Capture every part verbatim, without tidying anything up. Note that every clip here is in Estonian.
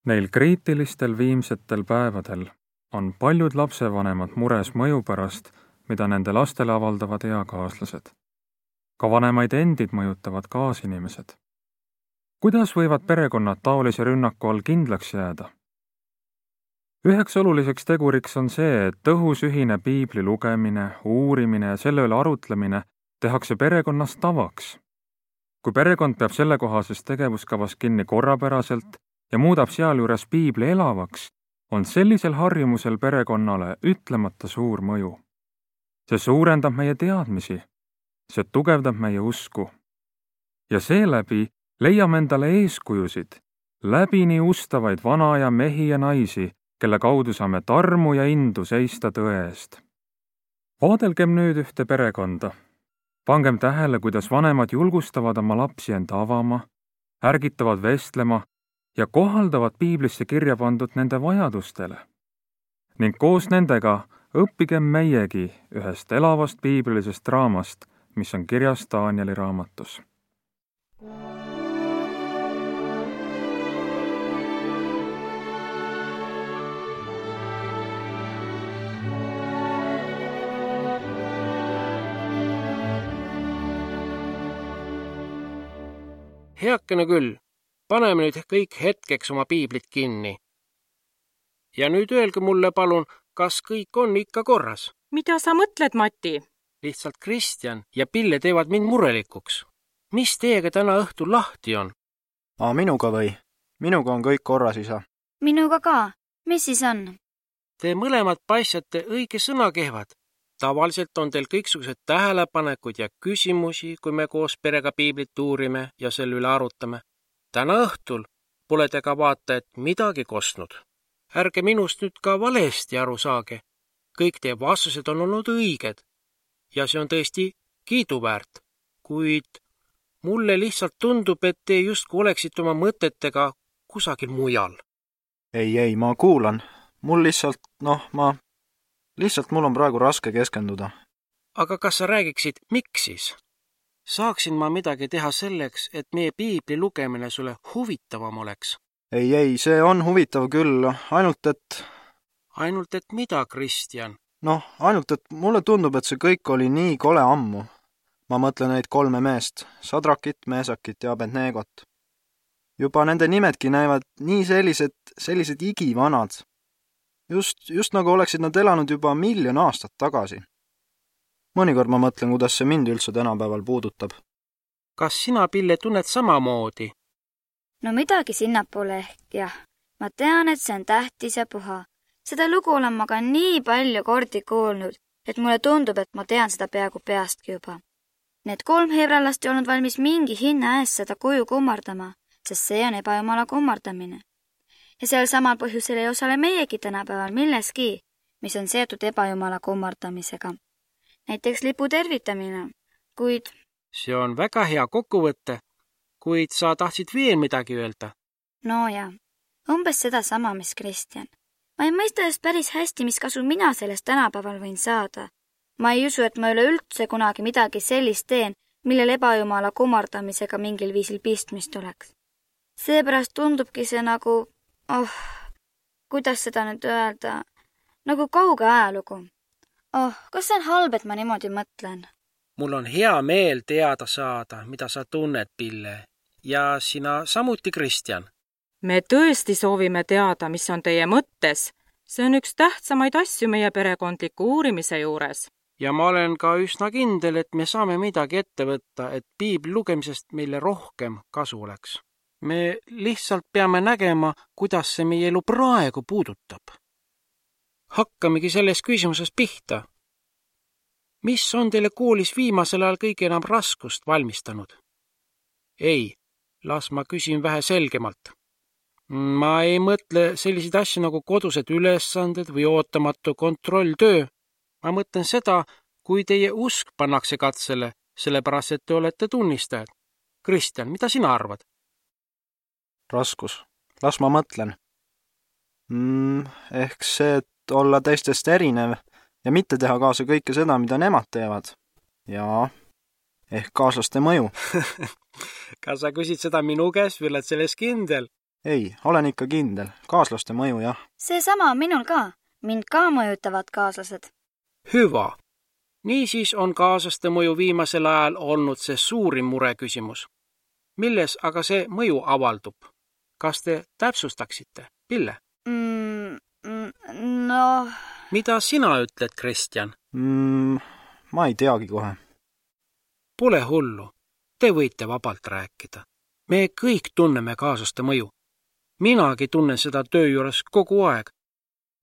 Neil kriitilistel viimsetel päevadel on paljud lapsevanemad mures mõju pärast, mida nende lastele avaldavad eakaaslased. Ka vanemaid endid mõjutavad kaasinimesed. Kuidas võivad perekonnad taolise rünnaku all kindlaks jääda? Üheks oluliseks teguriks on see, et tõhus ühine piibli lugemine, uurimine ja selle üle arutlemine tehakse perekonnas tavaks. Kui perekond peab sellekohasest tegevuskavas kinni korrapäraselt ja muudab sealjuures piibli elavaks, on sellisel harjumusel perekonnale ütlemata suur mõju. See suurendab meie teadmisi, see tugevdab meie usku. Ja seeläbi leiame endale eeskujusid, läbini ustavaid vana ja mehi ja naisi, kelle kaudu saame tarmu ja indu seista tõe eest. Vaadelgem nüüd ühte perekonda. Pangem tähele, kuidas vanemad julgustavad oma lapsi enda avama, ärgitavad vestlema ja kohaldavad piiblisse kirja pandud nende vajadustele. Ning koos nendega õppigem meiegi ühest elavast piiblilisest raamast, mis on kirjas Danieli raamatus. Heakene küll, paneme nüüd kõik hetkeks oma piiblit kinni. Ja nüüd öelge mulle palun, kas kõik on ikka korras? Mida sa mõtled, Mati? Lihtsalt Kristjan ja Pille teevad mind murelikuks. Mis teiega täna õhtul lahti on? Aa, minuga või? Minuga on kõik korras, isa. Minuga ka. Mis siis on? Te mõlemad paistate õige sõna kehvad. Tavaliselt on teil kõiksugused tähelepanekud ja küsimusi, kui me koos perega piiblit uurime ja selle üle arutame. Täna õhtul pole te ka vaata, et midagi kostnud. Ärge minust nüüd ka valesti aru saage. Kõik teie vastused on olnud õiged ja see on tõesti kiiduväärt, kuid mulle lihtsalt tundub, et te justkui oleksite oma mõtetega kusagil mujal. Ei, ei, ma kuulan. Mul lihtsalt, noh, ma... Lihtsalt mul on praegu raske keskenduda. Aga kas sa räägiksid, miks siis? Saaksin ma midagi teha selleks, et meie piibli lugemine sulle huvitavam oleks? Ei, ei, see on huvitav küll, ainult et... Ainult et mida, Kristjan? Noh, ainult et mulle tundub, et see kõik oli nii kole ammu. Ma mõtlen neid kolme meest, Sadrakit, Meesakit ja Abednegot. Juba nende nimedki näivad nii sellised, sellised igivanad. Just, just nagu oleksid nad elanud juba miljon aastat tagasi. Mõnikord ma mõtlen, kuidas see mind üldse tänapäeval puudutab. Kas sina, Pille, tunned samamoodi? No midagi sinnapoole ehk, jah. Ma tean, et see on tähtis ja puha. Seda lugu olen ma ka nii palju kordi kuulnud, et mulle tundub, et ma tean seda peaaegu peastki juba. Need kolm hebralast ei olnud valmis mingi hinna eest seda kuju kummardama, sest see on ebajumala kummardamine. Ja sel samal põhjusel ei osale meiegi tänapäeval milleski, mis on seotud ebajumala kummardamisega. Näiteks lipu tervitamine, kuid... See on väga hea kokkuvõtte, kuid sa tahtsid veel midagi öelda. No ja, umbes seda sama, mis Kristjan. Ma ei mõista just päris hästi, mis kasu mina sellest tänapäeval võin saada. Ma ei usu, et ma üle üldse kunagi midagi sellist teen, millel ebajumala kummardamisega mingil viisil pistmist oleks. Seepärast tundubki see nagu... Oh, kuidas seda nüüd öelda? Nagu kauge ajalugu. Oh, kas see on halb, et ma niimoodi mõtlen? Mul on hea meel teada saada, mida sa tunned, Pille. Ja sina samuti, Kristjan. Me tõesti soovime teada, mis on teie mõttes. See on üks tähtsamaid asju meie perekondliku uurimise juures. Ja ma olen ka üsna kindel, et me saame midagi ette võtta, et piibli lugemisest meile rohkem kasu oleks. Me lihtsalt peame nägema, kuidas see meie elu praegu puudutab. Hakkamegi selles küsimuses pihta. Mis on teile koolis viimasel ajal kõige enam raskust valmistanud? Ei, las ma küsin vähe selgemalt. Ma ei mõtle selliseid asju nagu kodused ülesanded või ootamatu kontrolltöö. Ma mõtlen seda, kui teie usk pannakse katsele, sellepärast, et te olete tunnistajad. Kristjan, mida sina arvad? Raskus. Las ma mõtlen. Mm, ehk see, et olla teistest erinev ja mitte teha kaasa kõike seda, mida nemad teevad. Ja ehk kaaslaste mõju. Kas sa küsid seda minu käest või oled selles kindel? ei, olen ikka kindel. Kaaslaste mõju, jah. seesama on minul ka. Mind ka mõjutavad kaaslased. Hüva. Niisiis on kaaslaste mõju viimasel ajal olnud see suurim mureküsimus. Milles aga see mõju avaldub? Kas te täpsustaksite, Pille? Mm, no... Mida sina ütled, Kristjan? Mm, ma ei teagi kohe. Pole hullu. Te võite vabalt rääkida. Me kõik tunneme kaaslaste mõju. Minagi tunnen seda töö juures kogu aeg.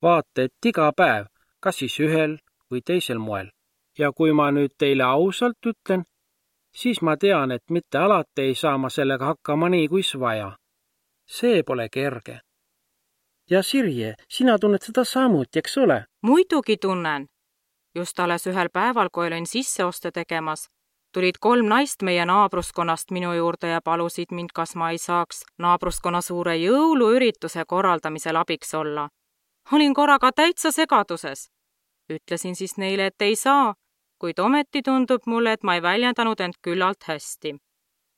Vaata, et iga päev, kas siis ühel või teisel moel. Ja kui ma nüüd teile ausalt ütlen, siis ma tean, et mitte alati ei saa ma sellega hakkama nii, kuis vaja. See pole kerge. Ja Sirje, sina tunned seda samuti, eks ole? Muidugi tunnen. Just alles ühel päeval, kui olin sisseoste tegemas, tulid kolm naist meie naabruskonnast minu juurde ja palusid mind, kas ma ei saaks naabruskonna suure jõuluürituse korraldamisel abiks olla. Olin korraga täitsa segaduses. Ütlesin siis neile, et ei saa, kuid ometi tundub mulle, et ma ei väljendanud end küllalt hästi.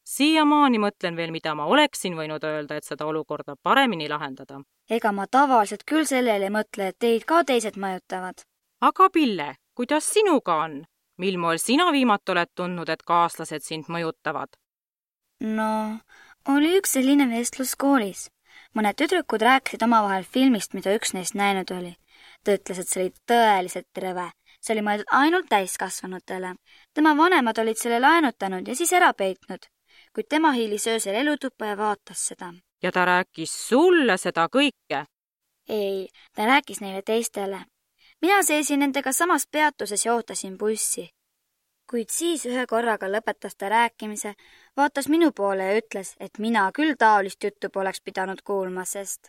Siiamaani mõtlen veel, mida ma oleksin võinud öelda, et seda olukorda paremini lahendada. Ega ma tavaliselt küll sellele mõtle, et teid ka teised mõjutavad. Aga Pille, kuidas sinuga on? Mil moel sina viimati oled tundnud, et kaaslased sind mõjutavad? No, oli üks selline vestlus koolis. Mõned tüdrukud rääkisid omavahel filmist, mida üks neist näinud oli. Ta ütles, et see oli tõeliselt rõve. See oli mõeldud ainult täiskasvanutele. Tema vanemad olid selle laenutanud ja siis ära peitnud, kuid tema hiilis öösel elutuppa ja vaatas seda. Ja ta rääkis sulle seda kõike? Ei, ta rääkis neile teistele. Mina seisin nendega samas peatuses ja ootasin bussi. Kuid siis ühe korraga lõpetas ta rääkimise, vaatas minu poole ja ütles, et mina küll taolist juttu poleks pidanud kuulma, sest...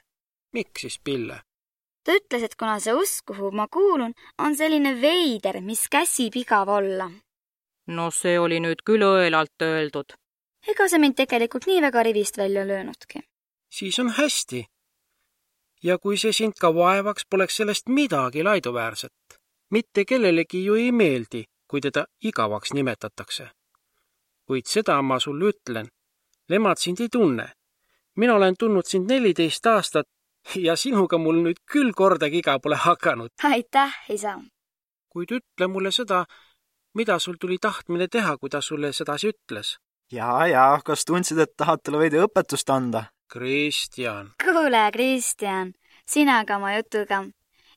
Miks siis, Pille? Ta ütles, et kuna see usk, kuhu ma kuulun, on selline veider, mis käsib igav olla. No see oli nüüd küll õelalt öeldud. Ega see mind tegelikult nii väga rivist välja löönudki. Siis on hästi. Ja kui see sind ka vaevaks, poleks sellest midagi laiduväärset. Mitte kellelegi ju ei meeldi, kui teda igavaks nimetatakse. Kuid seda ma sulle ütlen. Nemad sind ei tunne. Mina olen tundnud sind neliteist aastat ja sinuga mul nüüd küll kordagi iga pole hakanud. Aitäh, isa. Kuid ütle mulle seda, mida sul tuli tahtmine teha, kui ta sulle sedasi ütles. Jaa, jaa, kas tundsid, et tahad talle veidi õpetust anda? Kristjan. Kuule, Kristjan, sina ka oma jutuga.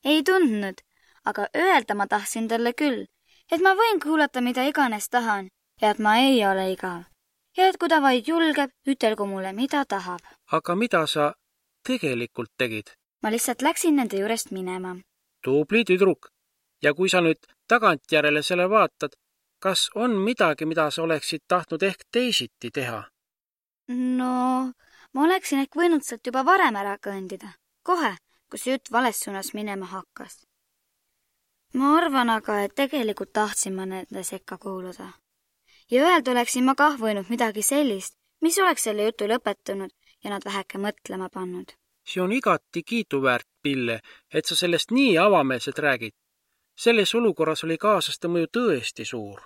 Ei tundnud, aga öelda ma tahtsin talle küll, et ma võin kuulata, mida iganes tahan ja et ma ei ole igav. Ja et kui ta vaid julgeb, ütelgu mulle, mida tahab. Aga mida sa tegelikult tegid? Ma lihtsalt läksin nende juurest minema. Tubli tüdruk. Ja kui sa nüüd tagantjärele selle vaatad, kas on midagi, mida sa oleksid tahtnud ehk teisiti teha? No, ma oleksin ehk võinud sealt juba varem ära kõndida. Kohe, kui see jutt vales suunas minema hakkas. Ma arvan aga, et tegelikult tahtsin ma nende sekka kuuluda. Ja öelda oleksin ma kah võinud midagi sellist, mis oleks selle jutu lõpetanud ja nad väheke mõtlema pannud. See on igati kiituväärt, Pille, et sa sellest nii avameelselt räägid. Selles olukorras oli kaaslaste mõju tõesti suur.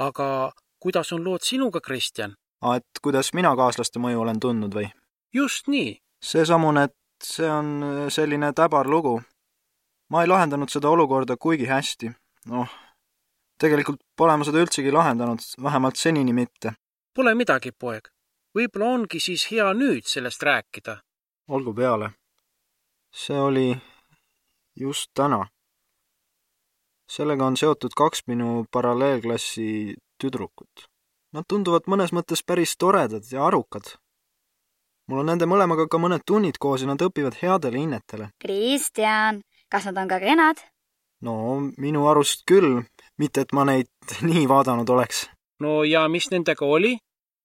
Aga kuidas on lood sinuga, Kristjan? Et kuidas mina kaaslaste mõju olen tundnud või? Just nii. See samune, et see on selline täbar lugu. Ma ei lahendanud seda olukorda kuigi hästi. Noh, tegelikult pole ma seda üldsegi lahendanud, vähemalt senini mitte. Pole midagi, poeg. Võib-olla ongi siis hea nüüd sellest rääkida. Olgu peale. See oli just täna. Sellega on seotud kaks minu paralleelklassi tüdrukut. Nad tunduvad mõnes mõttes päris toredad ja arukad. Mul on nende mõlemaga ka mõned tunnid koos ja nad õpivad headele hinnetele. Kristjan, kas nad on ka kenad? No, minu arust küll, mitte et ma neid nii vaadanud oleks. No ja mis nendega oli?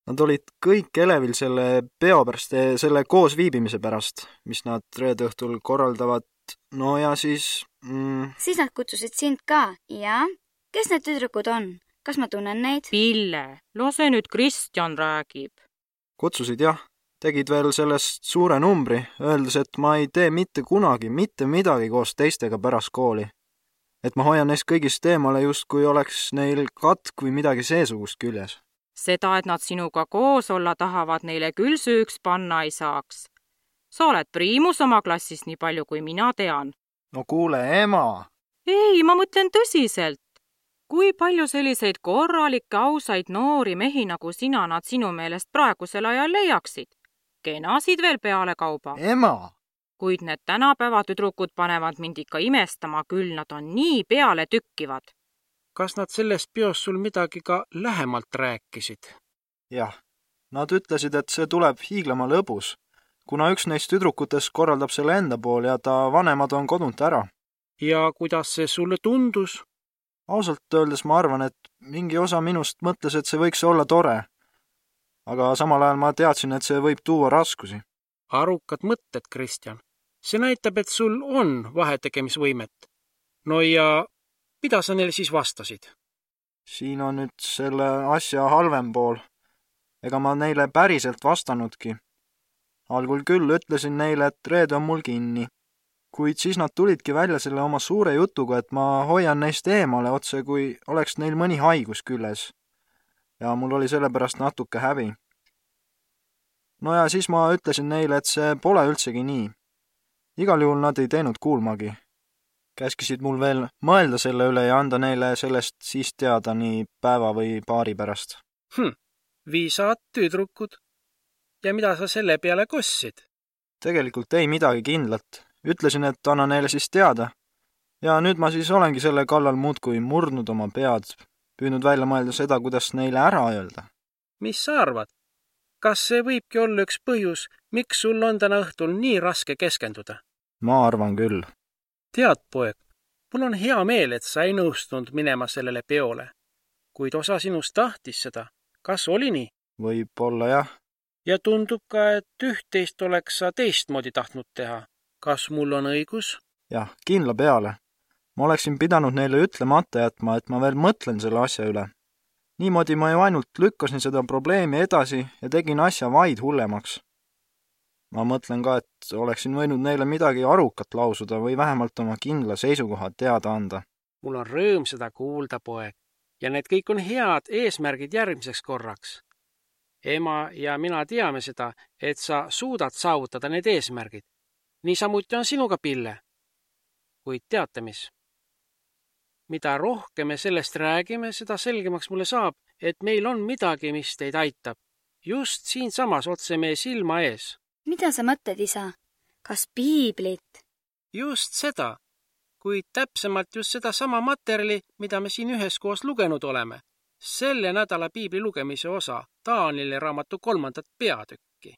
Nad olid kõik elevil selle peo pärast, selle koos viibimise pärast, mis nad reede õhtul korraldavad. No ja siis... Mm... Siis nad kutsusid sind ka, ja? Kes need tüdrukud on? Kas ma tunnen neid? Pille, lase nüüd Kristjan räägib. Kutsusid jah, tegid veel sellest suure numbri, öeldes, et ma ei tee mitte kunagi, mitte midagi koos teistega pärast kooli. Et ma hoian neist kõigist eemale just kui oleks neil katk või midagi seesugust küljes. Seda, et nad sinuga koos olla tahavad, neile küll süüks panna ei saaks. sa oled priimus oma klassis, nii palju kui mina tean. no kuule, ema! Ei, ma mõtlen tõsiselt. Kui palju selliseid korralikke, ausaid noori mehi nagu sina nad sinu meelest praegusel ajal leiaksid? Kenasid veel peale kauba. ema! Kuid need tänapäeva tüdrukud panevad mind ikka imestama, küll nad on nii peale tükkivad. Kas nad sellest peos sul midagi ka lähemalt rääkisid? jah, nad ütlesid, et see tuleb hiiglama lõbus, kuna üks neist tüdrukutest korraldab selle enda pool ja ta vanemad on kodunt ära. Ja kuidas see sulle tundus? ausalt öeldes ma arvan, et mingi osa minust mõtles, et see võiks olla tore. aga samal ajal ma teadsin, et see võib tuua raskusi. Arukad mõtted, Kristjan. See näitab, et sul on vahetegemisvõimet. no ja mida sa neile siis vastasid? siin on nüüd selle asja halvem pool. ega ma neile päriselt vastanudki. algul küll ütlesin neile, et reede on mul kinni. kuid siis nad tulidki välja selle oma suure jutuga, et ma hoian neist eemale otse, kui oleks neil mõni haigus küljes. ja mul oli sellepärast natuke häbi. no ja siis ma ütlesin neile, et see pole üldsegi nii. igal juhul nad ei teinud kuulmagi. Käskisid mul veel mõelda selle üle ja anda neile sellest siis teada nii päeva või paari pärast. Hm, viisad tüdrukud. Ja mida sa selle peale kossid? Tegelikult ei midagi kindlat. Ütlesin, et anna neile siis teada. Ja nüüd ma siis olengi selle kallal muudkui murdnud oma pead, püüdnud välja mõelda seda, kuidas neile ära öelda. Mis sa arvad? Kas see võibki olla üks põhjus, miks sul on täna õhtul nii raske keskenduda? Ma arvan küll. Tead, poeg, mul on hea meel, et sa ei nõustunud minema sellele peole. Kuid osa sinust tahtis seda. Kas oli nii? Võib-olla jah. Ja tundub ka, et üht-teist oleks sa teistmoodi tahtnud teha. Kas mul on õigus? Jah, kindla peale. Ma oleksin pidanud neile ütlemata jätma, et ma veel mõtlen selle asja üle. Niimoodi ma ju ainult lükkasin seda probleemi edasi ja tegin asja vaid hullemaks. Ma mõtlen ka, et oleksin võinud neile midagi arukat lausuda või vähemalt oma kindla seisukoha teada anda. Mul on rõõm seda kuulda, poeg. Ja need kõik on head eesmärgid järgmiseks korraks. Ema ja mina teame seda, et sa suudad saavutada need eesmärgid. Niisamuti on sinuga, Pille. Kuid teate mis? Mida rohkem me sellest räägime, seda selgemaks mulle saab, et meil on midagi, mis teid aitab. Just siinsamas otse meie silma ees. Mida sa mõtled, isa? Kas piiblit? Just seda, kuid täpsemalt just seda sama materjali, mida me siin üheskoos lugenud oleme. Selle nädala piibli lugemise osa, Taanieli raamatu kolmandat peatükki.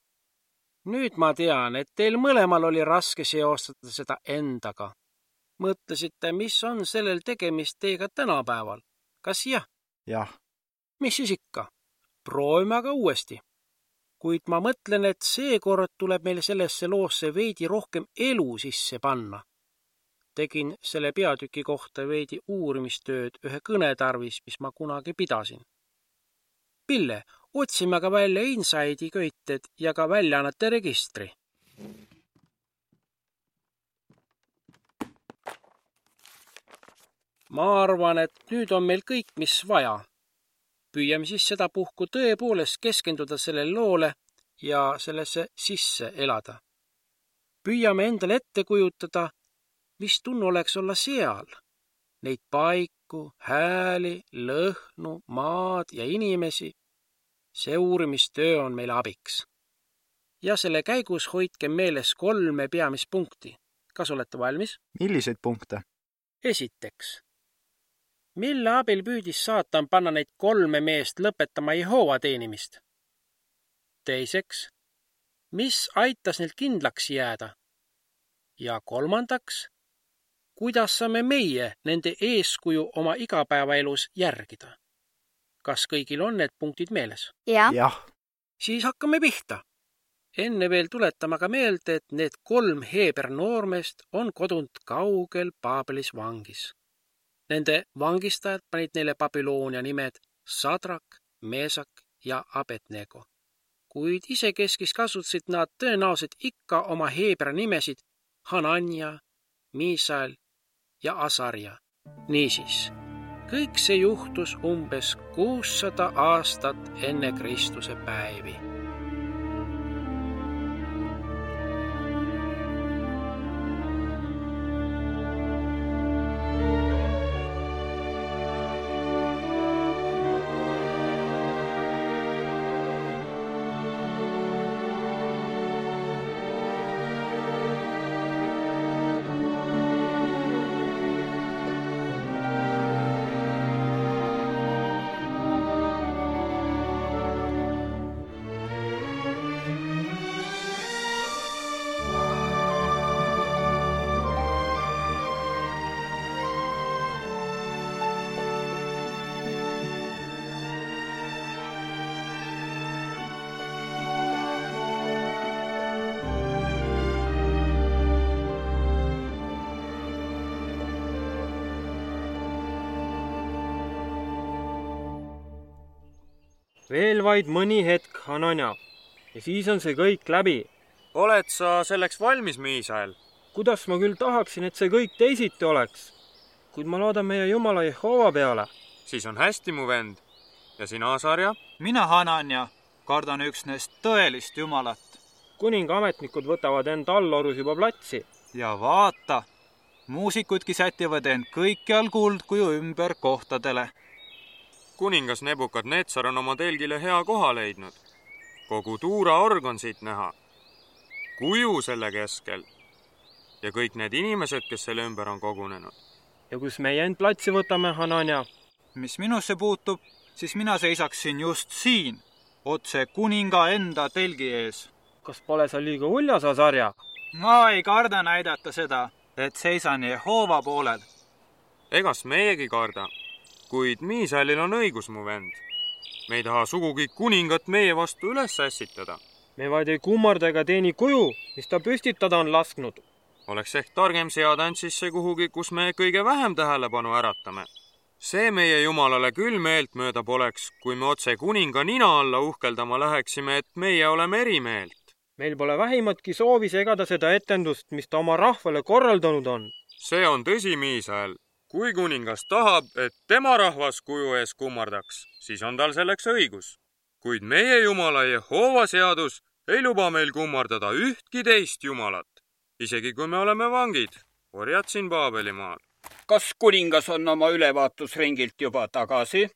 Nüüd ma tean, et teil mõlemal oli raske seostada seda endaga. Mõtlesite, mis on sellel tegemist teiega tänapäeval? Kas jah? Jah. Mis siis ikka? Proovime aga uuesti. Kuid ma mõtlen, et seekord tuleb meil sellesse loosse veidi rohkem elu sisse panna. Tegin selle peatüki kohta veidi uurimistööd ühe kõnetarvis, mis ma kunagi pidasin. Pille, otsime aga välja Inside'i köited ja ka väljaannete registri. Ma arvan, et nüüd on meil kõik, mis vaja. Püüame siis seda puhku tõepoolest keskenduda sellele loole ja sellesse sisse elada. Püüame endale ette kujutada, mis tunne oleks olla seal. Neid paiku, hääli, lõhnu, maad ja inimesi. See uurimistöö on meile abiks. Ja selle käigus hoidke meeles kolme peamist punkti. Kas olete valmis? Milliseid punkte? Esiteks. Mille abil püüdis saatan panna neid kolme meest lõpetama Jehova teenimist? Teiseks, mis aitas neil kindlaks jääda? Ja kolmandaks, kuidas saame meie nende eeskuju oma igapäevaelus järgida? Kas kõigil on need punktid meeles? Ja. Jah. Siis hakkame pihta. Enne veel tuletame aga meelde, et need kolm Heeber noormeest on kodunt kaugel Paabelis vangis. Nende vangistajad panid neile Babyloonia nimed Sadrak, Meesak ja Abednego. Kuid isekeskis kasutasid nad tõenäoliselt ikka oma Heebra nimesid Hanania, Miisael ja Asarja. Niisiis, kõik see juhtus umbes kuussada aastat enne Kristuse päevi. veel vaid mõni hetk, Hananja, ja siis on see kõik läbi. oled sa selleks valmis, Miisael? Kuidas ma küll tahaksin, et see kõik teisiti oleks, kuid ma loodan meie Jumala Jehova peale. Siis on hästi, mu vend. Ja sina, Asarja? Mina, Hananja, kardan üksnes tõelist Jumalat. Kuninga ametnikud võtavad end allorus juba platsi. Ja vaata, muusikudki sätivad end kõikjal kuldkuju ümber kohtadele. Kuningas Nebukadnetsar on oma telgile hea koha leidnud. Kogu tuuraorg on siit näha. Kuju selle keskel. Ja kõik need inimesed, kes selle ümber on kogunenud. Ja kus meie end platsi võtame, Hananja? Mis minusse puutub, siis mina seisaksin just siin, otse kuninga enda telgi ees. Kas pole sa liiga uljas, Asarja? Ma ei karda näidata seda, et seisan Jehova poolel. Egas meiegi karda, kuid Miisaelil on õigus, mu vend. Me ei taha sugugi kuningat meie vastu üles ässitada. Me vaid ei kummarda ega teeni kuju, mis ta püstitada on lasknud. Oleks ehk targem seada end sisse kuhugi, kus me kõige vähem tähelepanu äratame. See meie Jumalale küll meelt mööda poleks, kui me otse kuninga nina alla uhkeldama läheksime, et meie oleme erimeelt. Meil pole vähimatki soovi segada seda etendust, mis ta oma rahvale korraldanud on. See on tõsi, Miisael. Kui kuningas tahab, et tema rahvas kuju ees kummardaks, siis on tal selleks õigus. Kuid meie Jumala Jehova seadus ei luba meil kummardada ühtki teist Jumalat, isegi kui me oleme vangid, orjad siin Paabelimaal. Kas kuningas on oma ülevaatusringilt juba tagasi?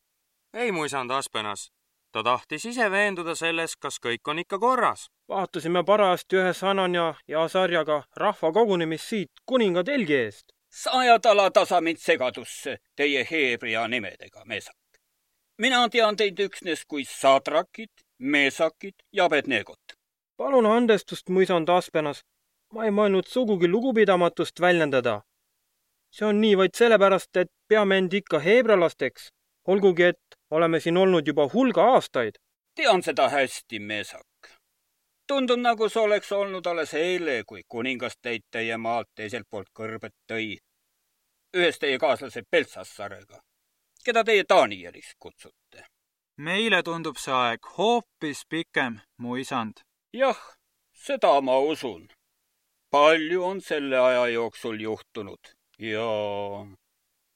Ei, mu isand Aspenas. Ta tahtis ise veenduda selles, kas kõik on ikka korras. Vaatusime parajasti ühe Hananja ja Asarjaga rahva kogunemist siit kuninga telgi eest. Sa ajad ala tasa mind segadusse teie heebrea nimedega, Meesak. Mina tean teid üksnes kui Sadrakit, Meesakit ja Abednegot. Palun andestust, mu isand Aspenas. Ma ei mõelnud sugugi lugupidamatust väljendada. See on nii vaid sellepärast, et peame end ikka heebralasteks, olgugi et oleme siin olnud juba hulga aastaid. Tean seda hästi, Meesak. Tundub nagu see oleks olnud alles eile, kui kuningas teid teie maalt teiselt poolt kõrbet tõi. Ühes teie kaaslase Beltsassarega, keda teie Danieliks kutsute. Meile tundub see aeg hoopis pikem, mu isand. Jah, seda ma usun. Palju on selle aja jooksul juhtunud ja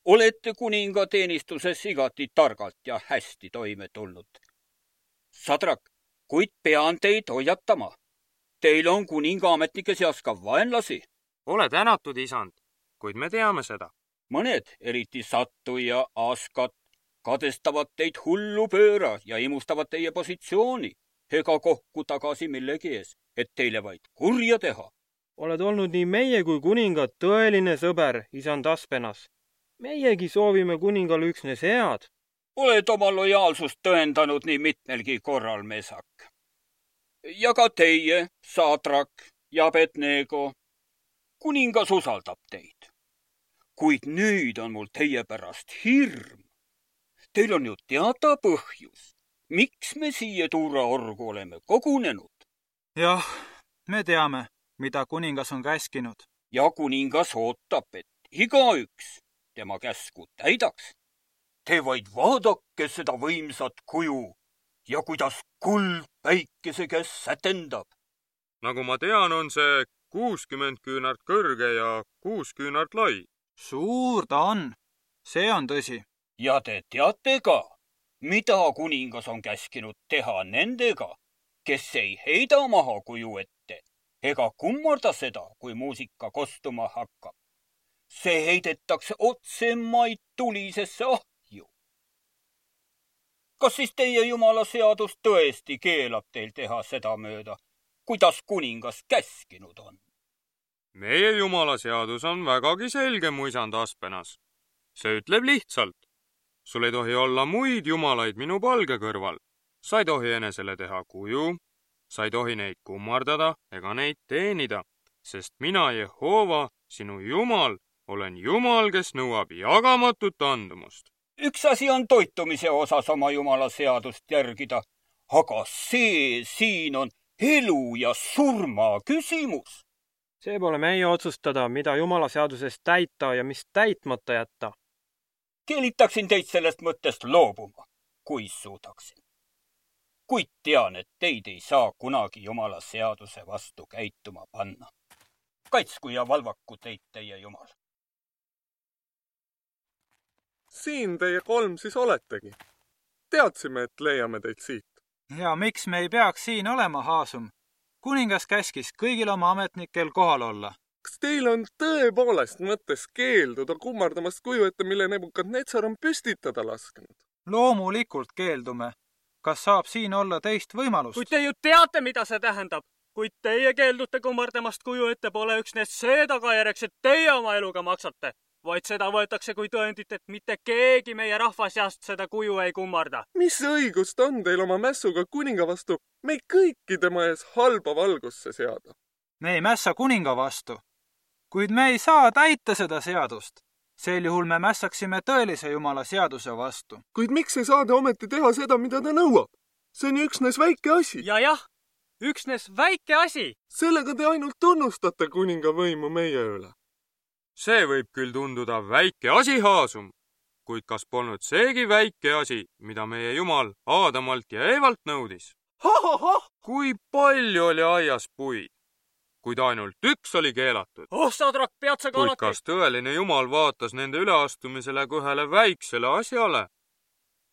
olete kuninga teenistuses igati targalt ja hästi toime tulnud. Sadrak, kuid pean teid hoiatama. Teil on kuninga ametnike seas ka vaenlasi. Ole tänatud, isand, kuid me teame seda. Mõned, eriti Sattu ja Askat, kadestavad teid hullu pööra ja imustavad teie positsiooni, ega kohku tagasi millegi ees, et teile vaid kurja teha. Oled olnud nii meie kui kuninga tõeline sõber, isand Aspenas. Meiegi soovime kuningal üksnes head. Oled oma lojaalsust tõendanud nii mitmelgi korral, Meesak. Ja ka teie, Sadrak ja Abednego. Kuningas usaldab teid. Kuid nüüd on mul teie pärast hirm. Teil on ju teada põhjus, miks me siia tuuraorgu oleme kogunenud. Jah, me teame, mida kuningas on käskinud. Ja kuningas ootab, et igaüks tema käsku täidaks. Te vaid vaadake seda võimsat kuju ja kuidas kuld päikese käes sätendab. Nagu ma tean, on see kuuskümmend küünart kõrge ja kuus küünart lai. Suur ta on. See on tõsi. Ja te teate ka, mida kuningas on käskinud teha nendega, kes ei heida maha kuju ette ega kummarda seda, kui muusika kostuma hakkab. See heidetakse otsemaid tulisesse ahju. Kas siis teie Jumala seadus tõesti keelab teil teha seda mööda, kuidas kuningas käskinud on? Meie Jumala seadus on vägagi selge, mu isand Aspenas. See ütleb lihtsalt. Sul ei tohi olla muid jumalaid minu palge kõrval. Sa ei tohi enesele teha kuju, sa ei tohi neid kummardada ega neid teenida, sest mina, Jehova, sinu Jumal, olen Jumal, kes nõuab jagamatut andumust. Üks asi on toitumise osas oma Jumala seadust järgida, aga see siin on elu ja surma küsimus. See pole meie otsustada, mida Jumala seadusest täita ja mis täitmata jätta. Keelitaksin teid sellest mõttest loobuma, kui suudaksin. kuid tean, et teid ei saa kunagi Jumala seaduse vastu käituma panna. Kaitsku ja valvaku teid teie Jumal. Siin teie kolm siis oletegi. Teadsime, et leiame teid siit. Ja miks me ei peaks siin olema, Haasum? Kuningas käskis kõigil oma ametnikel kohal olla. Kas teil on tõepoolest mõttes keelduda kummardamast kuju ette, mille Nebukadnetsar on püstitada lasknud? Loomulikult keeldume. Kas saab siin olla teist võimalust? Kuid te ju teate, mida see tähendab. Kuid teie keeldute kummardamast kuju ette pole üksnes see tagajärjeks, et teie oma eluga maksate, vaid seda võetakse kui tõendit, et mitte keegi meie rahva seast seda kuju ei kummarda. Mis õigust on teil oma mässuga kuninga vastu meid kõiki tema ees halba valgusse seada? Me ei mässa kuninga vastu, kuid me ei saa täita seda seadust. Sel juhul me mässaksime tõelise Jumala seaduse vastu. Kuid miks ei saa te ometi teha seda, mida ta nõuab? See on üksnes väike asi. Ja jah, üksnes väike asi. Sellega te ainult tunnustate kuninga võimu meie üle. See võib küll tunduda väike asi, Haasum, kuid kas polnud seegi väike asi, mida meie Jumal Aadamalt ja Eevalt nõudis? Ha, ha, ha! Kui palju oli aias puid, kuid ainult üks oli keelatud. Oh, Sadrak, pead sa ka alati. Kuid kas tõeline Jumal vaatas nende üleastumisele kui ühele väiksele asjale?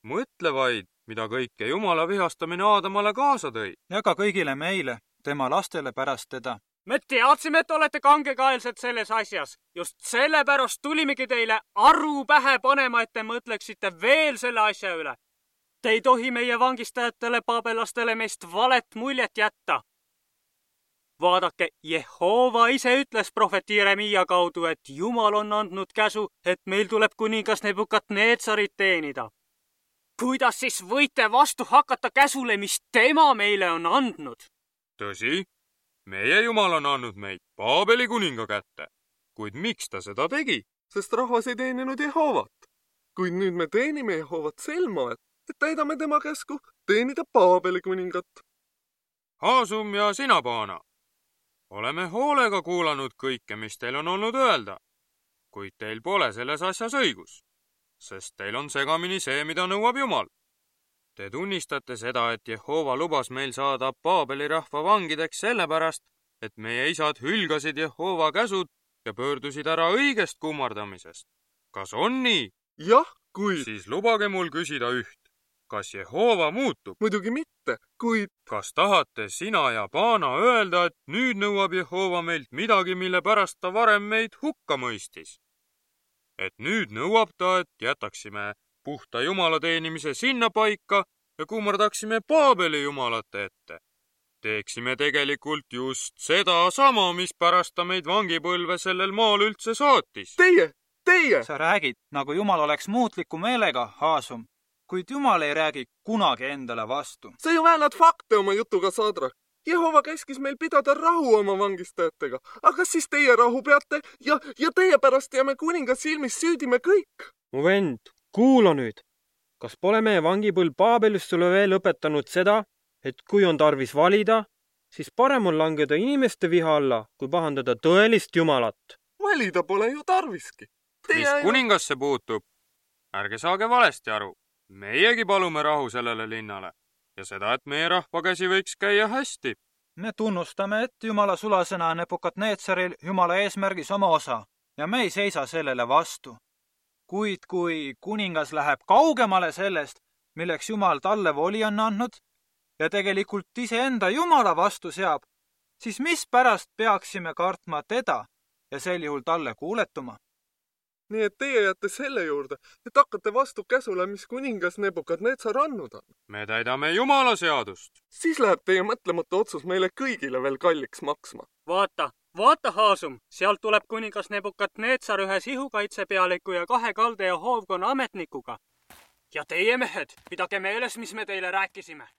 Mõtle vaid, mida kõike Jumala vihastamine Aadamale kaasa tõi. Ja ka kõigile meile, tema lastele pärast teda. Me teadsime, et olete kangekaelsed selles asjas. Just sellepärast tulimegi teile aru pähe panema, et te mõtleksite veel selle asja üle. Te ei tohi meie vangistajatele paabelastele meist valet muljet jätta. Vaadake, Jehova ise ütles prohvet Jeremiia kaudu, et Jumal on andnud käsu, et meil tuleb kuningas Nebukadnetsarit teenida. Kuidas siis võite vastu hakata käsule, mis tema meile on andnud? Tõsi, meie Jumal on andnud meid Paabeli kuninga kätte. Kuid miks ta seda tegi? Sest rahvas ei teeninud Jehovat. Kuid nüüd me teenime Jehovat sel moel, et täidame tema käsku teenida Paabeli kuningat. Haasum ja sina, Paana. Oleme hoolega kuulanud kõike, mis teil on olnud öelda, kuid teil pole selles asjas õigus, sest teil on segamini see, mida nõuab Jumal. Te tunnistate seda, et Jehova lubas meil saada Paabeli rahva vangideks sellepärast, et meie isad hülgasid Jehova käsud ja pöördusid ära õigest kummardamisest. Kas on nii? Jah, kui... Siis lubage mul küsida üht. Kas Jehova muutub? Muidugi mitte, kuid... Kas tahate sina ja Paana öelda, et nüüd nõuab Jehova meilt midagi, mille pärast ta varem meid hukka mõistis? Et nüüd nõuab ta, et jätaksime puhta Jumala teenimise sinna paika ja kummardaksime Paabeli jumalate ette. Teeksime tegelikult just seda sama, mis pärast ta meid vangipõlve sellel maal üldse saatis. Teie, teie! Sa räägid, nagu Jumal oleks muutliku meelega, Haasum, kuid Jumal ei räägi kunagi endale vastu. Sa ju väänad fakte oma jutuga, Sadrak. Jehova käskis meil pidada rahu oma vangistajatega. Aga siis teie rahu peate ja, ja teie pärast jääme kuningas silmis süüdime kõik. Mu vend, kuula nüüd. Kas pole meie vangipõlv Paabelist sulle veel õpetanud seda, et kui on tarvis valida, siis parem on langeda inimeste viha alla, kui pahandada tõelist Jumalat? Valida pole ju tarviski. Teie mis kuningasse puutub? Ärge saage valesti aru. Meiegi palume rahu sellele linnale ja seda, et meie rahva käsi võiks käia hästi. Me tunnustame, et Jumala sulasõna Nebukadnetsaril Jumala eesmärgis oma osa ja me ei seisa sellele vastu. Kuid kui kuningas läheb kaugemale sellest, milleks Jumal talle voli on andnud ja tegelikult iseenda Jumala vastu seab, siis mispärast peaksime kartma teda ja sel juhul talle kuuletuma? Nii et teie jääte selle juurde, et hakkate vastu käsule, mis kuningas Nebukadnetsar andnud on. Me täidame Jumala seadust. Siis läheb teie mõtlemata otsus meile kõigile veel kalliks maksma. Vaata, vaata, Haasum, sealt tuleb kuningas Nebukadnetsar ühe sihukaitsepealiku ja kahe kalde ja hoovkonna ametnikuga. Ja teie mehed, pidage meeles, mis me teile rääkisime.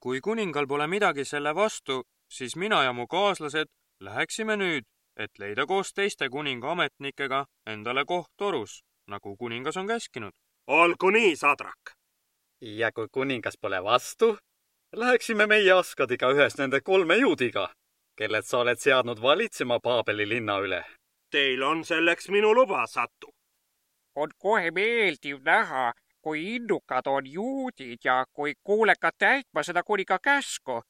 Kui kuningal pole midagi selle vastu, siis mina ja mu kaaslased läheksime nüüd, et leida koos teiste kuninga ametnikega endale koht torus, nagu kuningas on käskinud. Olgu nii, Sadrak. Ja kui kuningas pole vastu, läheksime meie Askadiga ühes nende kolme juudiga, kelled sa oled seadnud valitsema Paabeli linna üle. Teil on selleks minu luba, Satu. On kohe meeldiv näha, kui innukad on juudid ja kui kuulekad täitma seda kuninga käsku.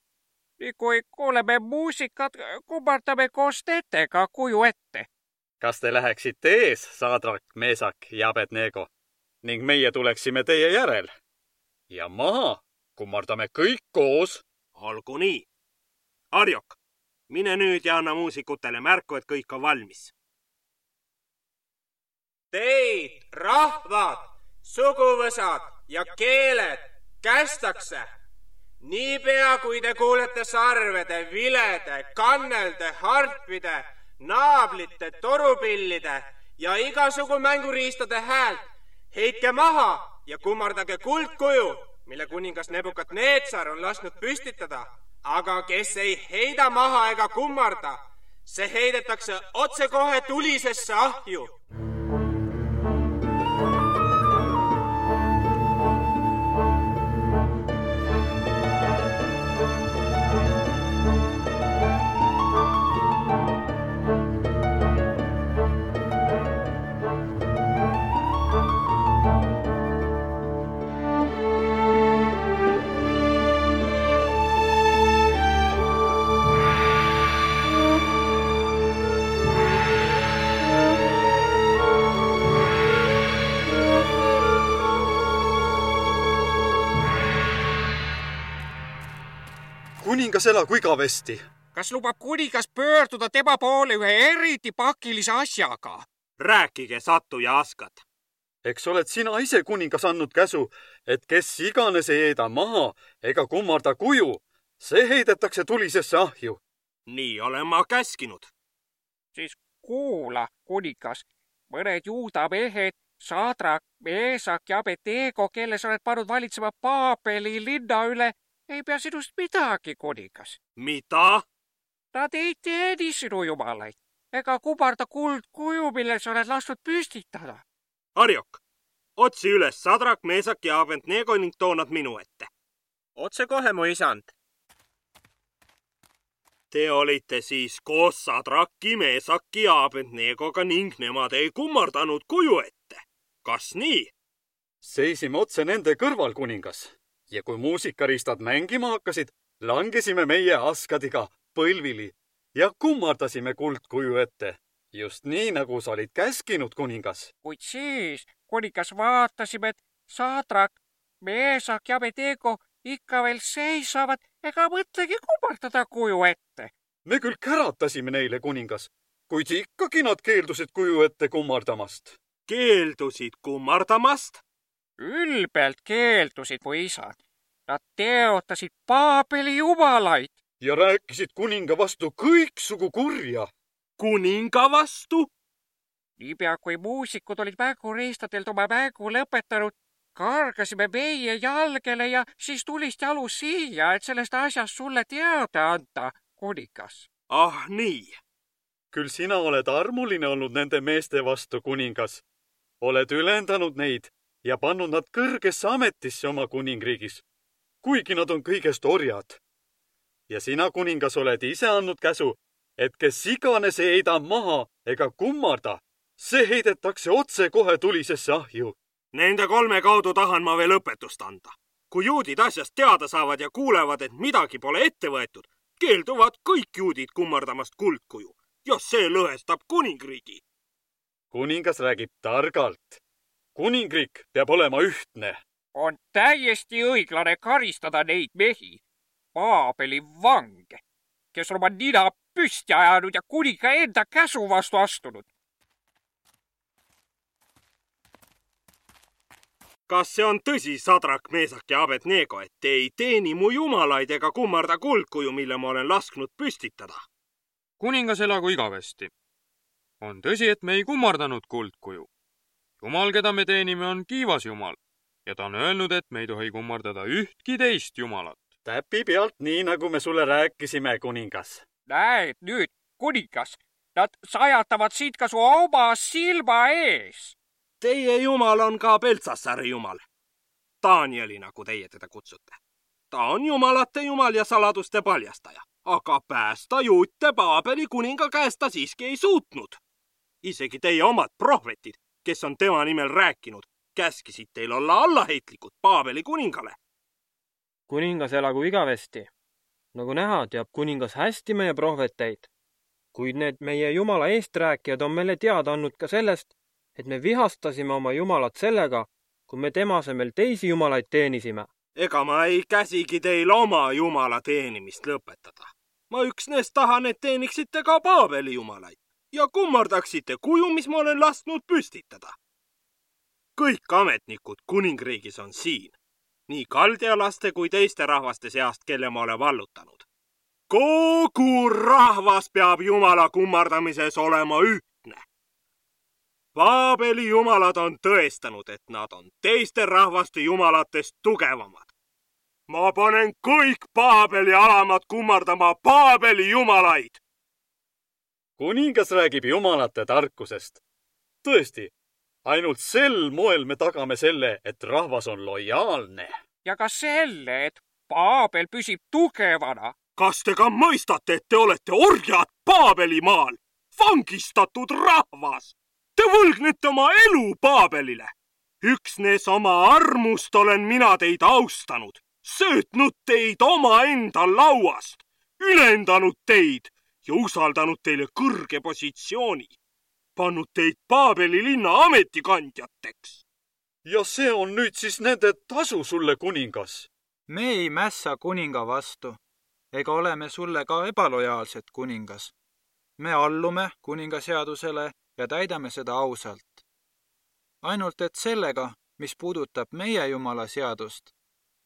Kui kuuleme muusikat, kummardame koos nendega kuju ette. Kas te läheksite ees, Sadrak, Meesak ja Abednego, ning meie tuleksime teie järel? Ja maha kummardame kõik koos. Olgu nii. Arjok, mine nüüd ja anna muusikutele märku, et kõik on valmis. Teid, rahvad, suguvõsad ja keeled kästakse. Niipea, kui te kuulete sarvede, vilede, kannelde, harpide, naablite, torupillide ja igasugu mänguriistade häält, heitke maha ja kummardage kuldkuju, mille kuningas Nebukadnetsar on lasknud püstitada. Aga kes ei heida maha ega kummarda, see heidetakse otsekohe tulisesse ahju. Kuningas elagu igavesti. Kas lubab kuningas pöörduda tema poole ühe eriti pakilise asjaga? Rääkige, Satu ja Askad. Eks oled sina ise kuningas andnud käsu, et kes iganes ei heida maha ega kummarda kuju, see heidetakse tulisesse ahju. Nii olen ma käskinud. Siis kuula, kuningas, mõned juuda mehed, Sadrak, Meesak ja Abednego, kelle sa oled pannud valitsema Paabeli linna üle, ei pea sinust midagi, kuningas. Mida? Nad ei teeni sinu jumalaid ega kummarda kuldkuju, mille sa oled lasknud püstitada. Arjok, otsi üles Sadrak, Meesak ja Abednego ning too nad minu ette. Otse kohe, mu isand. Te olite siis koos Sadraki, Meesaki ja Abednegoga ning nemad ei kummardanud kuju ette. Kas nii? Seisime otse nende kõrval, kuningas. Ja kui muusikaristad mängima hakkasid, langesime meie Askadiga põlvili ja kummardasime kuldkuju ette. Just nii, nagu sa olid käskinud, kuningas. Kuid siis, kuningas, vaatasime, et Sadrak, Meesak ja Abednego ikka veel seisavad ega mõtlegi kummardada kuju ette. Me küll käratasime neile, kuningas, kuid ikkagi nad keeldusid kuju ette kummardamast. Keeldusid kummardamast? Ülbelt keeldusid, mu isad. Nad teotasid Paabeli jumalaid. Ja rääkisid kuninga vastu kõiksugu kurja. Kuninga vastu? Niipea, kui muusikud olid mänguriistadelt oma mängu lõpetanud, kargasime meie jalgele ja siis tulist jalu siia, et sellest asjast sulle teada anda, kuningas. Ah, nii. Küll sina oled armuline olnud nende meeste vastu, kuningas. Oled ülendanud neid ja pannud nad kõrgesse ametisse oma kuningriigis, kuigi nad on kõigest orjad. Ja sina, kuningas, oled ise andnud käsu, et kes iganes ei heida maha ega kummarda, see heidetakse otse kohe tulisesse ahju. Nende kolme kaudu tahan ma veel õpetust anda. Kui juudid asjast teada saavad ja kuulevad, et midagi pole ette võetud, keelduvad kõik juudid kummardamast kuldkuju ja see lõhestab kuningriigi. Kuningas räägib targalt. Kuningriik peab olema ühtne. On täiesti õiglane karistada neid mehi, Paabeli vange, kes on oma nina püsti ajanud ja kuninga enda käsu vastu astunud. Kas see on tõsi, Sadrak, Meesak ja Abednego, et te ei teeni mu jumalaid ega kummarda kuldkuju, mille ma olen lasknud püstitada? Kuningas elagu igavesti. On tõsi, et me ei kummardanud kuldkuju. Jumal, keda me teenime, on kiivas jumal ja ta on öelnud, et me ei tohi kummardada ühtki teist jumalat. Täpi pealt nii, nagu me sulle rääkisime, kuningas. Näed nüüd, kuningas, nad sajatavad siit ka su oma silma ees. Teie jumal on ka Beltsassari jumal. Danieli, nagu teie teda kutsute. Ta on jumalate jumal ja saladuste paljastaja, aga päästa juute Paabeli kuninga käest ta siiski ei suutnud. Isegi teie omad prohvetid, kes on tema nimel rääkinud, käskisid teil olla allaheitlikud Paabeli kuningale. kuningas elagu igavesti. Nagu näha, teab kuningas hästi meie prohveteid, kuid need meie Jumala eesträäkijad on meile teada andnud ka sellest, et me vihastasime oma Jumalat sellega, kui me tema asemel teisi jumalaid teenisime. Ega ma ei käsigi teil oma Jumala teenimist lõpetada. Ma üksnes tahan, et teeniksite ka Paabeli jumalaid ja kummardaksite kuju, mis ma olen lasknud püstitada. Kõik ametnikud kuningriigis on siin, nii kaldialaste kui teiste rahvaste seast, kelle ma olen vallutanud. Kogu rahvas peab Jumala kummardamises olema ühtne. Paabeli jumalad on tõestanud, et nad on teiste rahvaste jumalatest tugevamad. Ma panen kõik Paabeli alamad kummardama Paabeli jumalaid. Kuningas räägib jumalate tarkusest. Tõesti, ainult sel moel me tagame selle, et rahvas on lojaalne. Ja ka selle, et Paabel püsib tugevana. Kas te ka mõistate, et te olete orjad Paabeli maal? Vangistatud rahvas! Te võlgnete oma elu Paabelile. Üksnes oma armust olen mina teid austanud, söötnud teid oma enda lauast, ülendanud teid ja usaldanud teile kõrge positsiooni, pannud teid Paabeli linna ametikandjateks. Ja see on nüüd siis nende tasu sulle, kuningas. Me ei mässa kuninga vastu, ega oleme sulle ka ebalojaalsed, kuningas. Me allume kuninga seadusele ja täidame seda ausalt. Ainult et sellega, mis puudutab meie Jumala seadust,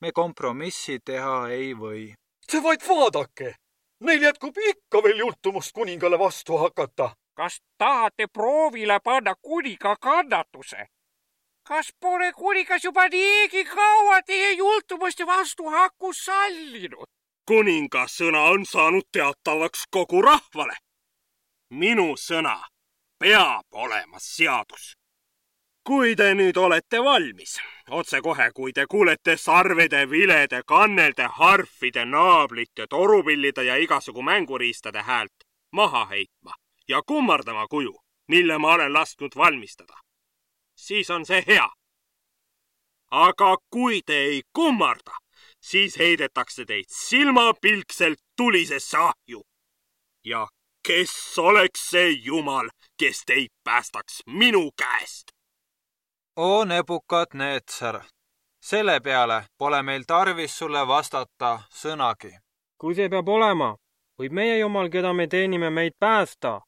me kompromissi teha ei või. See vaid vaadake! Neil jätkub ikka veel jultumust kuningale vastu hakata. Kas tahate proovile panna kuninga kannatuse? Kas pole kuningas juba niigi kaua teie jultumust ja vastuhakku sallinud? Kuningas sõna on saanud teatavaks kogu rahvale. Minu sõna peab olema seadus. Kui te nüüd olete valmis, otse kohe, kui te kuulete sarvede, vilede, kannelde, harfide, naablite, torupillide ja igasugu mänguriistade häält maha heitma ja kummardama kuju, mille ma olen lasknud valmistada, siis on see hea. Aga kui te ei kummarda, siis heidetakse teid silmapilkselt tulisesse ahju. Ja kes oleks see Jumal, kes teid päästaks minu käest? O Nebukadnetsar, selle peale pole meil tarvis sulle vastata sõnagi. Kui see peab olema, võib meie Jumal, keda me teenime, meid päästa.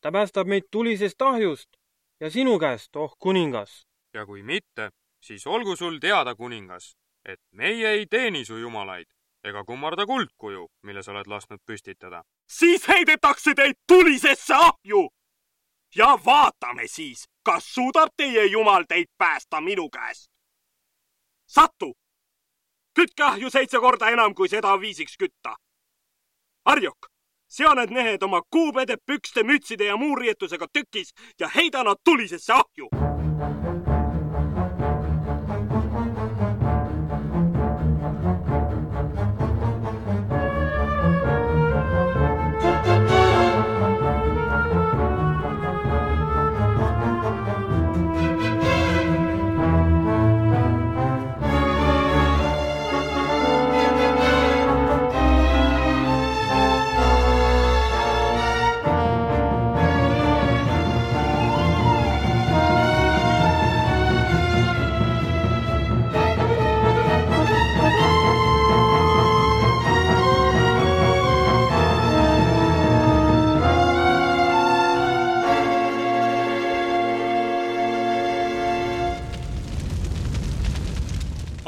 Ta päästab meid tulisest ahjust ja sinu käest, oh kuningas. Ja kui mitte, siis olgu sul teada, kuningas, et meie ei teeni su jumalaid ega kummarda kuldkuju, mille sa oled lasknud püstitada. Siis heidetakse teid tulisesse ahju! Ja vaatame siis, kas suudab teie Jumal teid päästa minu käest. Sattu! Kütke ahju seitse korda enam, kui seda viisiks kütta. Arjok, sea need mehed oma kuubede, pükste, mütside ja muu riietusega tükis ja heida nad tulisesse ahju.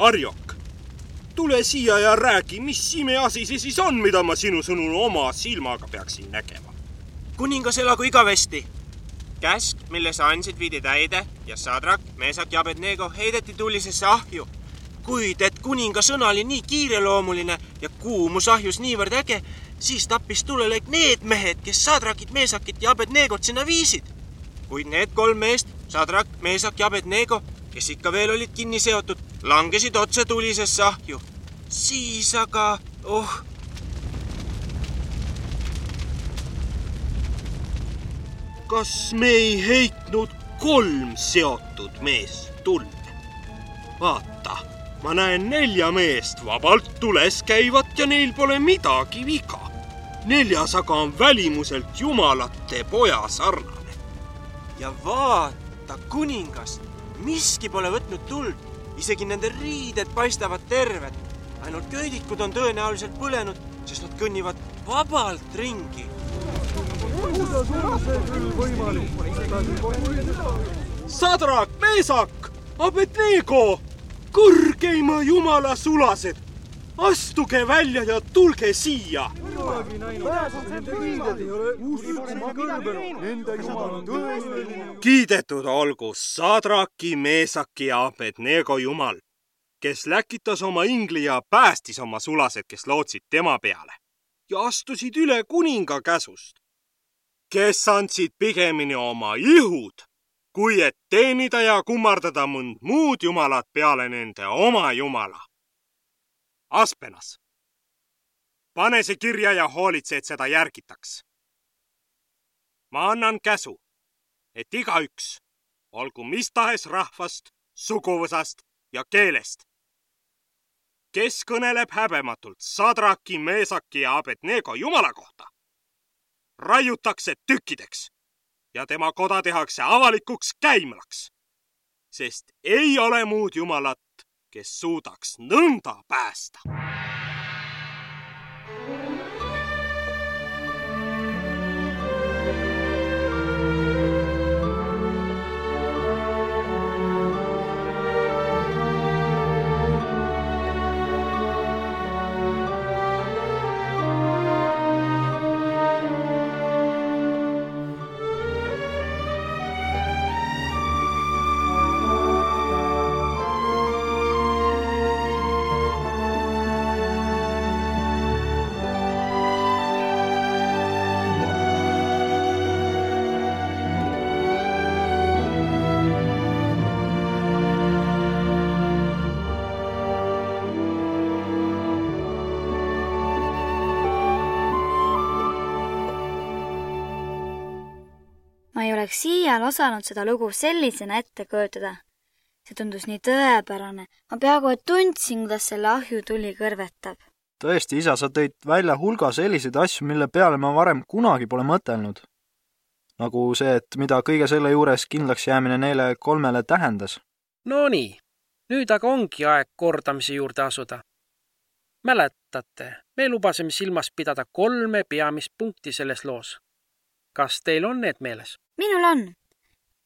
Arjok, tule siia ja räägi, mis imeasi see siis on, mida ma sinu sõnul oma silmaga peaksin nägema. Kuningas elagu igavesti. Käsk, mille sa andsid, viidi täide ja Sadrak, Meesak ja Abednego heideti tulisesse ahju. Kuid et kuninga sõna oli nii kiireloomuline ja kuumus ahjus niivõrd äge, siis tappis tulelõik need mehed, kes Sadrakit, Meesakit ja Abednegot sinna viisid. Kuid need kolm meest, Sadrak, Meesak ja Abednego, kes ikka veel olid kinni seotud, langesid otse tulisesse ahju. Siis aga, oh... Kas me ei heitnud kolm seotud meest tulle? vaata, ma näen nelja meest vabalt tules käivat ja neil pole midagi viga. Neljas aga on välimuselt jumalate poja sarnane. Ja vaata, kuningas, miski pole võtnud tuld, isegi nende riided paistavad terved. Ainult köidikud on tõenäoliselt põlenud, sest nad kõnnivad vabalt ringi. Sadrak, Meesak, Abednego, kõrgeima jumala sulased, astuge välja ja tulge siia. Kiidetud olgu Sadraki, Meesaki ja Abednego jumal, kes läkitas oma ingli ja päästis oma sulased, kes lootsid tema peale ja astusid üle kuninga käsust, kes andsid pigemini oma ihud, kui et teenida ja kummardada mõnd muud jumalat peale nende oma jumala. Aspenas, pane see kirja ja hoolitse, et seda järgitaks. Ma annan käsu, et igaüks, olgu mis tahes rahvast, suguvõsast ja keelest, kes kõneleb häbematult Sadraki, Meesaki ja Abednego jumala kohta, raiutakse tükkideks ja tema koda tehakse avalikuks käimlaks, sest ei ole muud jumalat, kes suudaks nõnda päästa. Ma ei oleks siial osanud seda lugu sellisena ette kujutada. See tundus nii tõepärane. Ma peaaegu et tundsin, kuidas selle ahju tuli kõrvetab. Tõesti, isa, sa tõid välja hulga selliseid asju, mille peale ma varem kunagi pole mõtelnud. Nagu see, et mida kõige selle juures kindlaks jäämine neile kolmele tähendas. No nii, nüüd aga ongi aeg kordamise juurde asuda. Mäletate, me lubasime silmas pidada kolme peamist punkti selles loos. Kas teil on need meeles? Minul on.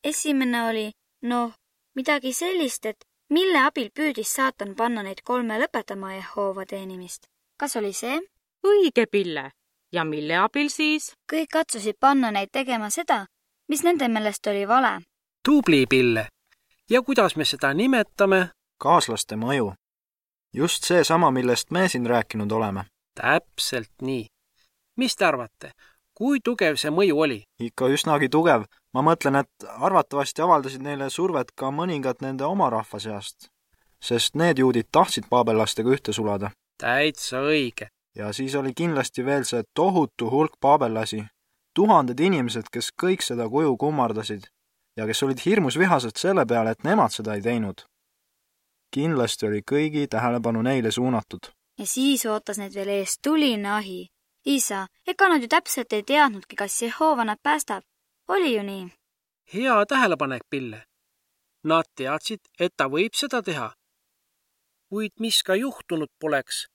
Esimene oli, noh, midagi sellist, et mille abil püüdis saatan panna neid kolme lõpetama Jehova teenimist. Kas oli see? Õige, Pille. Ja mille abil siis? Kõik katsusid panna neid tegema seda, mis nende meelest oli vale. Tubli, Pille. Ja kuidas me seda nimetame? Kaaslaste mõju. Just see sama, millest me siin rääkinud oleme. Täpselt nii. Mis te arvate? Kui tugev see mõju oli? Ikka üsnagi tugev. Ma mõtlen, et arvatavasti avaldasid neile survet ka mõningad nende oma rahva seast, sest need juudid tahtsid paabellastega ühte sulada. Täitsa õige. Ja siis oli kindlasti veel see tohutu hulk paabellasi, tuhanded inimesed, kes kõik seda kuju kummardasid ja kes olid hirmus vihased selle peale, et nemad seda ei teinud. Kindlasti oli kõigi tähelepanu neile suunatud. Ja siis ootas need veel ees tuline ahi. Isa, ega nad ju täpselt ei teadnudki, kas Jehova nad päästab. Oli ju nii? Hea tähelepanek, Pille. Nad teadsid, et ta võib seda teha. Kuid mis ka juhtunud poleks,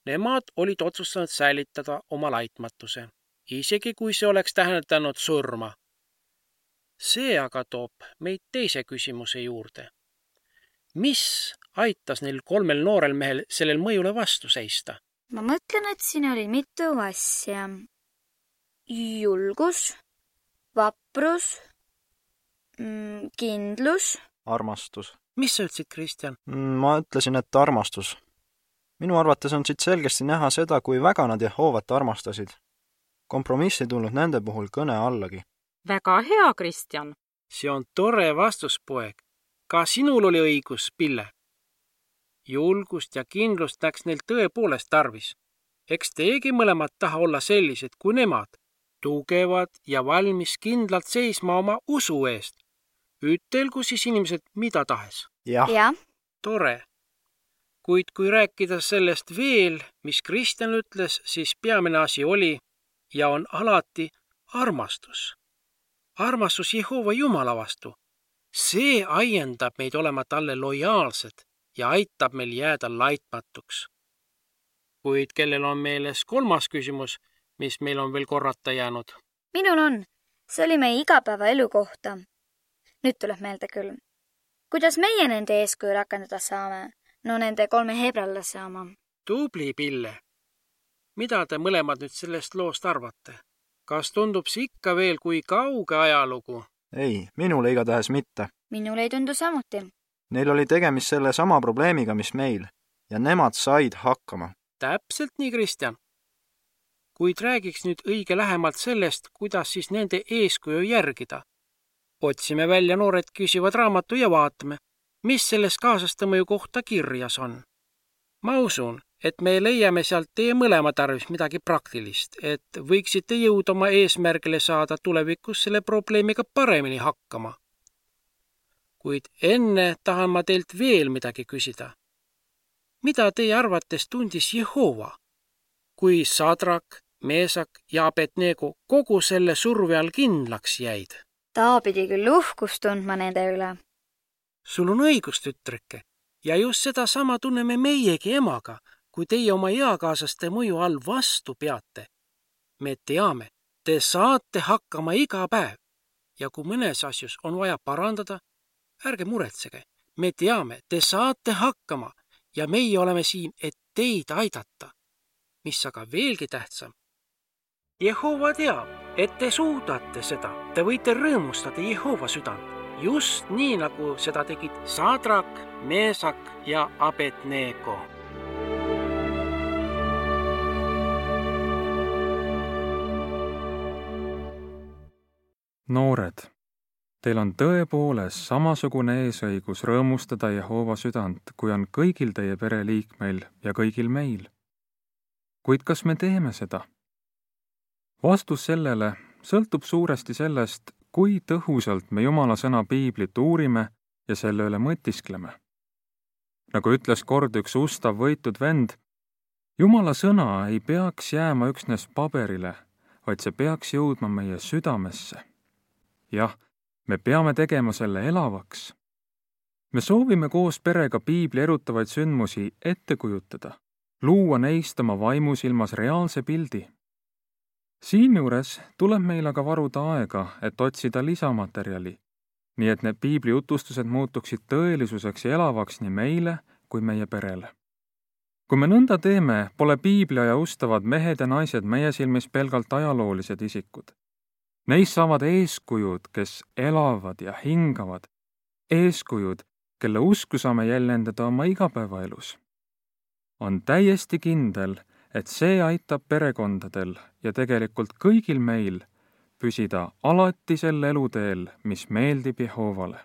nemad olid otsustanud säilitada oma laitmatuse, isegi kui see oleks tähendanud surma. See aga toob meid teise küsimuse juurde. Mis aitas neil kolmel noorel mehel sellel mõjule vastu seista? Ma mõtlen, et siin oli mitu asja. Julgus, vaprus, kindlus. Armastus. Mis sa ütlesid, Kristjan? Ma ütlesin, et armastus. Minu arvates on siit selgesti näha seda, kui väga nad Jehovat armastasid. Kompromiss ei tulnud nende puhul kõne allagi. Väga hea, Kristjan. See on tore vastus, poeg. Ka sinul oli õigus, Pille. Julgust ja kindlust läks neil tõepoolest tarvis. Eks teegi mõlemad taha olla sellised kui nemad, tugevad ja valmis kindlalt seisma oma usu eest. Ütelgu siis inimesed mida tahes. Jah. Ja, tore. Kuid kui rääkida sellest veel, mis Kristjan ütles, siis peamine asi oli ja on alati armastus. Armastus Jehova Jumala vastu. See aiendab meid olema talle lojaalsed ja aitab meil jääda laitmatuks. Kuid kellel on meeles kolmas küsimus, mis meil on veel korrata jäänud? Minul on. See oli meie igapäevaelu kohta. Nüüd tuleb meelde küll. Kuidas meie nende eeskuju rakendada saame? No nende kolme hebrallase oma. Tubli, Pille. Mida te mõlemad nüüd sellest loost arvate? Kas tundub see ikka veel kui kauge ajalugu? Ei, minule igatahes mitte. Minule ei tundu samuti. Neil oli tegemist selle sama probleemiga, mis meil, ja nemad said hakkama. Täpselt nii, Kristjan. Kuid räägiks nüüd õige lähemalt sellest, kuidas siis nende eeskuju järgida. Otsime välja noored küsivad raamatu ja vaatame, mis selles kaasaste mõju kohta kirjas on. Ma usun, et me leiame sealt teie mõlema tarvis midagi praktilist, et võiksite jõuda oma eesmärgile saada tulevikus selle probleemiga paremini hakkama. Kuid enne tahan ma teilt veel midagi küsida. Mida teie arvates tundis Jehova, kui Sadrak, Meesak ja Abednego kogu selle surve all kindlaks jäid? Ta pidi küll uhkust tundma nende üle. Sul on õigus, tütreke, ja just seda sama tunneme meiegi emaga, kui teie oma eakaasaste mõju all vastu peate. Me teame, te saate hakkama iga päev ja kui mõnes asjus on vaja parandada, ärge muretsege. Me teame, te saate hakkama ja meie oleme siin, et teid aidata. Mis aga veelgi tähtsam. Jehova teab, et te suudate seda. Te võite rõõmustada Jehova südant. Just nii, nagu seda tegid Sadrak, Meesak ja Abednego. Noored, teil on tõepoolest samasugune eesõigus rõõmustada Jehova südant, kui on kõigil teie pereliikmeil ja kõigil meil. Kuid kas me teeme seda? Vastus sellele sõltub suuresti sellest, kui tõhusalt me Jumala sõna piiblit uurime ja selle üle mõtiskleme. Nagu ütles kord üks ustav võitud vend, Jumala sõna ei peaks jääma üksnes paberile, vaid see peaks jõudma meie südamesse. Jah, me peame tegema selle elavaks. Me soovime koos perega piibli erutavaid sündmusi ette kujutada, luua neist oma vaimusilmas reaalse pildi. Siinjuures tuleb meil aga varuda aega, et otsida lisamaterjali, nii et need piibli jutustused muutuksid tõelisuseks ja elavaks nii meile kui meie perele. Kui me nõnda teeme, pole piibliaja ustavad mehed ja naised meie silmis pelgalt ajaloolised isikud. Neist saavad eeskujud, kes elavad ja hingavad, eeskujud, kelle usku saame jäljendada oma igapäevaelus. On täiesti kindel, et see aitab perekondadel ja tegelikult kõigil meil püsida alati sel eluteel, mis meeldib Jehovale.